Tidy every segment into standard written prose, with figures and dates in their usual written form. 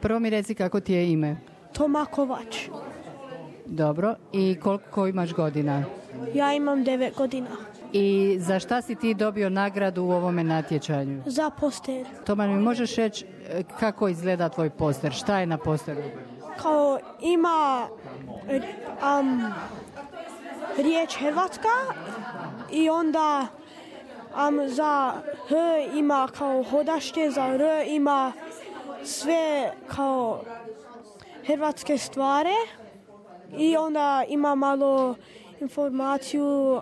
Prvo mi reci kako ti je ime. Toma Kovač. Dobro. I koliko imaš godina? Ja imam 9 godina. I za šta si ti dobio nagradu u ovome natječanju? Za poster. Toma, mi možeš reći kako izgleda tvoj poster? Šta je na posteru? Kao ima riječ Hrvatska i onda za H ima kao hodašće, za R ima sve kao hrvatske stvari i onda ima malo informaciju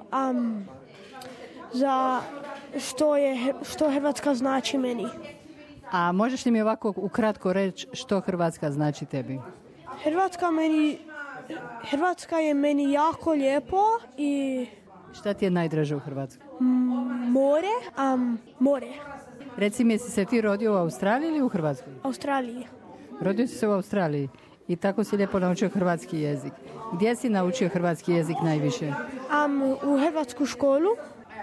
za što Hrvatska znači meni. A možeš li mi ovako ukratko reći što Hrvatska znači tebi? Hrvatska je meni jako lijepo i... Šta ti je najdraže u Hrvatskoj? More. Reci mi, jesi se ti rodio u Australiji ili u Hrvatskoj? Australiji. Rodio si se u Australiji i tako si lijepo naučio hrvatski jezik. Gdje si naučio hrvatski jezik najviše? U hrvatsku školu.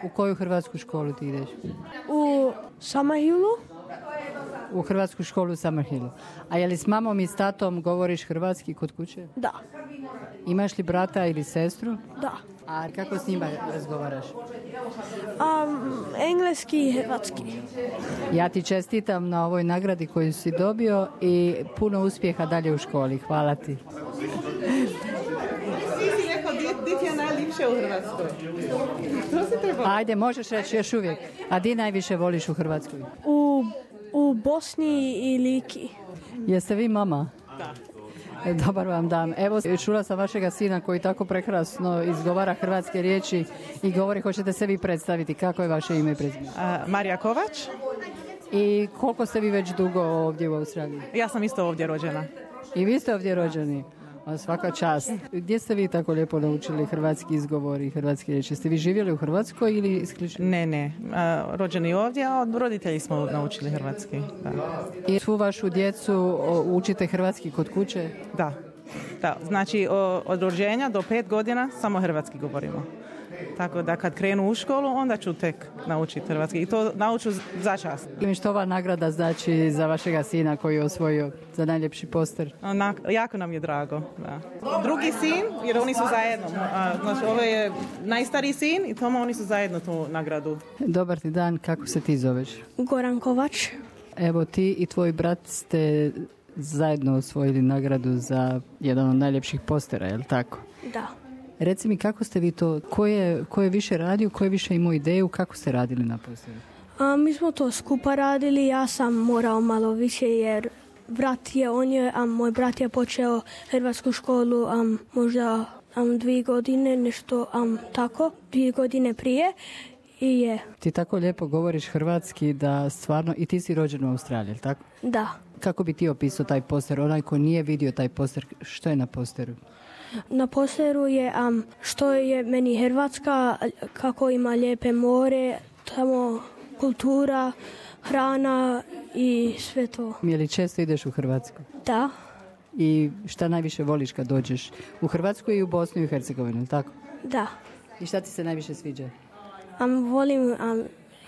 U koju hrvatsku školu ti ideš? U Summerhillu. U hrvatsku školu u Summerhillu. A je li s mamom i s tatom govoriš hrvatski kod kuće? Da. Imaš li brata ili sestru? Da. A kako s njima razgovaraš? Engleski i hrvatski. Ja ti čestitam na ovoj nagradi koju si dobio i puno uspjeha dalje u školi. Hvala ti. Ti rekao, di ti je najljepše u Hrvatskoj? Ajde, možeš reći još uvijek. A di najviše voliš u Hrvatskoj? U Bosni i Liki. Jeste vi mama? Da. Dobar vam dan. Evo, čula sam vašega sina koji tako prekrasno izgovara hrvatske riječi i govori, hoćete se vi predstaviti. Kako je vaše ime i prezime? Marija Kovač. I koliko ste vi već dugo ovdje u Australiji? Ja sam isto ovdje rođena. I vi ste ovdje rođeni? A svaka čast. Gdje ste vi tako lijepo naučili hrvatski izgovor i hrvatske riječi? Ste vi živjeli u Hrvatskoj ili isključivo? Ne. Rođeni ovdje, a od roditelji smo naučili hrvatski. Da. I svu vašu djecu učite hrvatski kod kuće? Da. Znači od rođenja do 5 godina samo hrvatski govorimo. Tako da kad krenu u školu, onda ću tek naučiti hrvatski. I to nauču za čast. I što ova nagrada znači za vašega sina koji je osvojio za najljepši poster? Jako nam je drago. Da. Drugi sin, jer oni su zajedno. Znači, ovo je najstariji sin i Toma, oni su zajedno tu nagradu. Dobar ti dan, kako se ti zoveš? Goran Kovač. Evo ti i tvoj brat ste zajedno osvojili nagradu za jedan od najljepših postera, je li tako? Da. Reci mi kako ste vi to, ko je više radio, ko je više imao ideju, kako ste radili na posteru? Mi smo to skupa radili, ja sam morao malo više jer moj brat je počeo hrvatsku školu možda 2 godine, nešto tako, 2 godine prije i je. Ti tako lijepo govoriš hrvatski da stvarno, i ti si rođen u Australiji, tako? Da. Kako bi ti opisao taj poster, onaj ko nije vidio taj poster, što je na posteru? Na posteru je što je meni Hrvatska, kako ima lijepe more, tamo kultura, hrana i sve to. Je li često ideš u Hrvatsku? Da. I šta najviše voliš kad dođeš? U Hrvatsku i u Bosnu i Hercegovinu, tako? Da. I šta ti se najviše sviđa? Volim,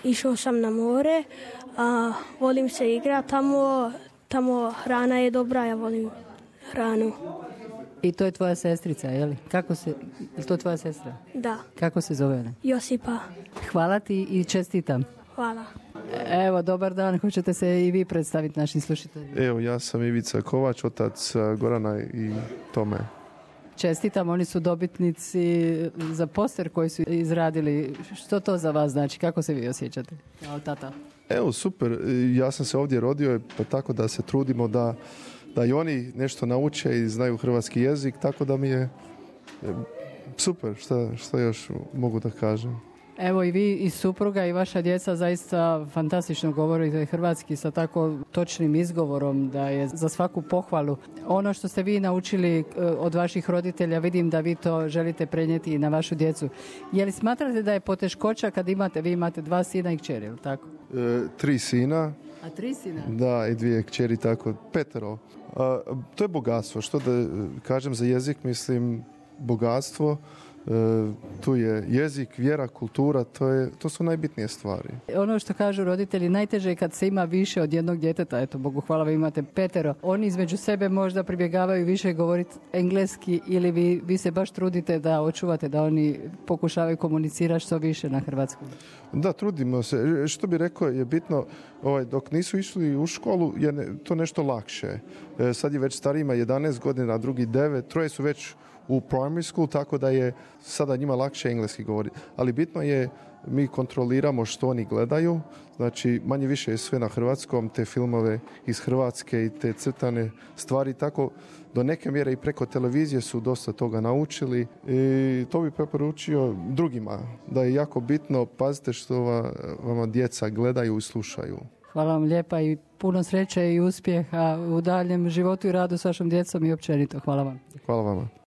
išao sam na more, volim se igrati tamo hrana je dobra, ja volim hranu. I to je tvoja sestrica, je li? Je to tvoja sestra? Da. Kako se zove ona? Josipa. Hvala ti i čestitam. Hvala. Evo, dobar dan, hoćete se i vi predstaviti našim slušateljima? Evo, ja sam Ivica Kovač, otac Gorana i Tome. Čestitam, oni su dobitnici za poster koji su izradili. Što to za vas znači? Kako se vi osjećate kao tata? Evo, super. Ja sam se ovdje rodio, pa tako da se trudimo da i oni nešto nauče i znaju hrvatski jezik, tako da mi je super. Šta još mogu da kažem? Evo i vi i supruga i vaša djeca zaista fantastično govorite hrvatski sa tako točnim izgovorom da je za svaku pohvalu. Ono što ste vi naučili od vaših roditelja, vidim da vi to želite prenijeti i na vašu djecu. Je li smatrate da je poteškoća kad vi imate 2 sina i kćeri, ili tako? 3 sina. A 3 sina? Da, i 2 kćeri, tako, 5. To je bogatstvo. Što da kažem za jezik, mislim bogatstvo. tu je jezik, vjera, kultura, to su najbitnije stvari. Ono što kažu roditelji, najteže je kad se ima više od jednog djeteta, eto, Bogu hvala, vi imate 5. Oni između sebe možda pribjegavaju više govoriti engleski ili vi se baš trudite da očuvate, da oni pokušavaju komunicirati što više na hrvatskom. Da, trudimo se. Što bi rekao je bitno, dok nisu išli u školu je to nešto lakše. Sad je već starijima 11 godina, a drugi 9, 3 su već u primary school, tako da je sada njima lakše engleski govoriti. Ali bitno je, mi kontroliramo što oni gledaju, znači manje više je sve na hrvatskom, te filmove iz Hrvatske i te crtane stvari, tako do neke mjere i preko televizije su dosta toga naučili i to bi preporučio drugima, da je jako bitno, pazite što vama djeca gledaju i slušaju. Hvala vam lijepa i puno sreće i uspjeha u daljem životu i radu s vašom djecom i općenito. Hvala vam. Hvala vama.